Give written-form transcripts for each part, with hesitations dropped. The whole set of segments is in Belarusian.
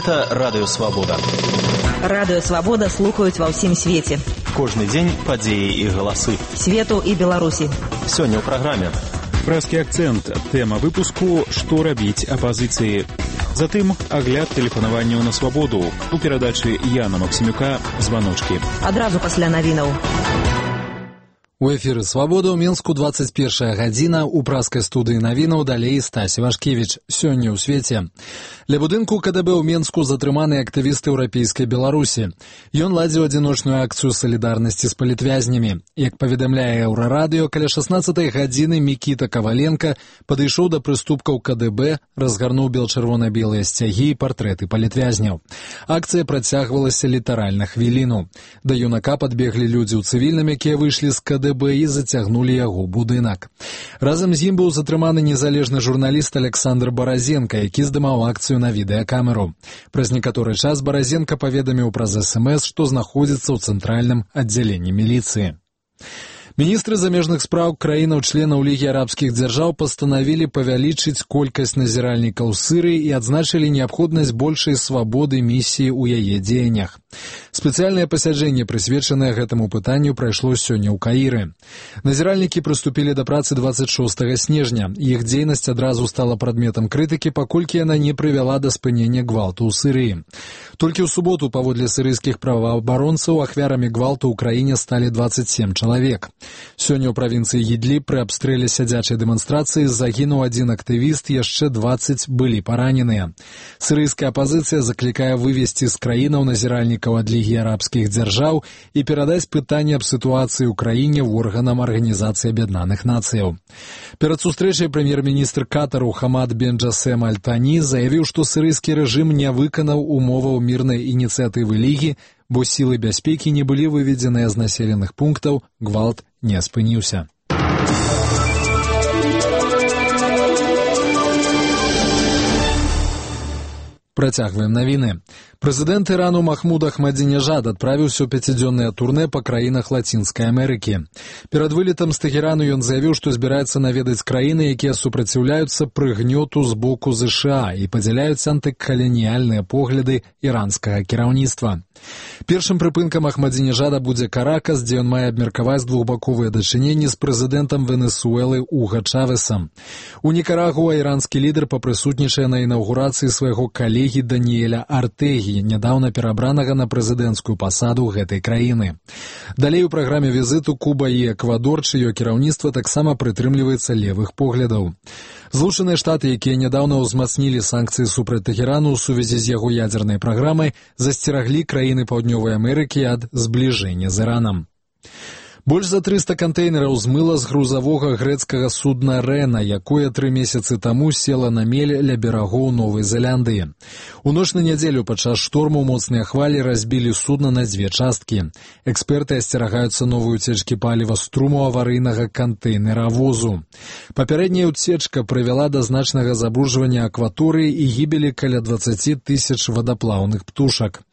Гэта Радыё Свабода. Радыё Свабода слухаюць ва ўсім свеце. Кожны дзень падзеі і галасы. Свету і Беларусі. Сёння ў праграме. Прэскі акцэнт. Тэма выпуску «Што рабіць апазіцыі». Затым агляд тэлефанаванняў на свабоду. У перадачы Яна Максімюка «Званочкі». Адразу пасля навінаў. У эфіры «Свабода» ў Мінску 21 гадзіна. У праскай студыі навінаў далей Стась Вашкевіч. Сёння ў свеце. Ля будынку КДБ ў Мінску затрыманы актывісты еўрапейскай Беларусі. Ён ладзіў адзіночную акцыю салідарнасці з палітвязнямі. Як паведамляе Еўрарадыё, каля 16 гадзіны Мікіта Каваленка падышоў да прыступкаў КДБ, разгарнуў бел-чырвона-белыя сцягі і партрэты палітвязняў. Акцыя працягвалася літаральна хвіліну. Да юнака падбеглі людзі ў цывільным, якія выйшлі з КДБ і зацягнулі яго будынак. Разам з ім быў затрыманы незалежны журналіст Александр Баразенка, які здымаў акцыю на відэакамеру. Праз некаторы час Баразенка паведаміў праз СМС, што знаходзіцца ў цэнтральным аддзяленні міліцыі. Міністры замежных спраў краінаў-членаў Лігі арабскіх дзяржаў пастанавілі павялічыць колькасць назіральнікаў Сырыі і адзначылі неабходнасць большай свабоды місіі ў яе дзеяннях. Спецыяльнае пасяджэнне, прысвечанае гэтаму пытанню, прайшло сёння ў Каіры. Назіральнікі прыступілі да працы 26 снежня. Іх дзейнасць адразу стала прадметам крытыкі, паколькі яна не прывяла да спынення гвалту ў Сырыі. Толькі ў суботу, паводле сырыйскіх праваабаронцаў, ахвярамі гвалту ў краіне сталі 27 чалавек. Сёння ў правінцыі Ідліб пры абстрэле сядзячай дэманстрацыі загінуў адзін актывіст, яшчэ 20 былі параненыя. Сырыйская апазіцыя заклікае вывесці з краінаў назіральнікаў ад Лігі арабскіх дзяржаў і перадаць пытанне аб сітуацыі ў краіне в органам Арганізацыі Аб'яднаных Нацыяў. Перад сустрэчай прэм'ер-міністр Катару Хамад бен Джасем Аль-Тані заявіў, што сырыйскі рэжым не выканаў умоваў мірнай ініцыятывы Лігі, бо сілы бяспекі не былі выведзеныя з населеных пунктаў, гвалт не спыніўся. Працягваем навіны. Прэзідэнт Ірану Махмуд Ахмадзінежад адправіўся ў 5-дзённае турнэ па краінах Лацінскай Амерыкі. Перад вылетам з Тэхерану ён заявіў, што збіраецца наведаць краіны, якія супраціўляюцца прыгнёту з боку ЗША і падзяляюць антыкаланіяльныя погляды іранскага кіраўніцтва. Першым прыпынкам Ахмадзінежада будзе Каракас, дзе ён мае абмеркаваць двухбаковыя дачыненні з прэзідэнтам Венесуэлы Уга Чавесам. У Нікарагуа іранскі лідар папрысутнічае на інаўгурацыі свайго калегі Даніэля Артэгі, нядаўна перабранага на прэзідэнцкую пасаду гэтай краіны. Далей у праграме візіту Куба і Эквадор, чыё кіраўніцтва таксама прытрымліваецца левых поглядаў. Злучаныя Штаты, якія нядаўна ўзмацнілі санкцыі супраць Тэхерану ў сувязі з яго ядзернай праграмай, засцераглі краіны Паўднёвай Амерыкі ад збліжэння з Іранам. Больш за 300 кантэйнераў змыла з грузавога грэцкага судна «Рэна», якое 3 месяцы таму села на мель ля берагоў Новай Зеландыі. У ноч на нядзелю падчас шторму моцныя хвалі разбілі судна на 2 часткі. Эксперты асцерагаюцца новай уцечкі паліва з труму аварыйнага кантэйнеравозу. Папярэдняя уцечка прывяла да значнага забруджвання акваторыі і гібелі каля 20 тысяч вадаплаўных птушак.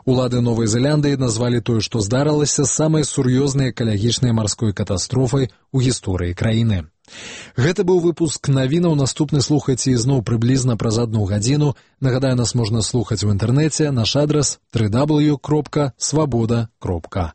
Улады Новай Зеландыі назвалі тое, што здарылася, самай сур'ёзнай экалагічнай марской катастрофай у гісторыі краіны. Гэта быў выпуск навінаў. Наступны слухайце ізноў прыблізна праз 1 гадзіну. Нагадаю, нас можна слухаць у інтэрнэце. Наш адрас www.swaboda.org.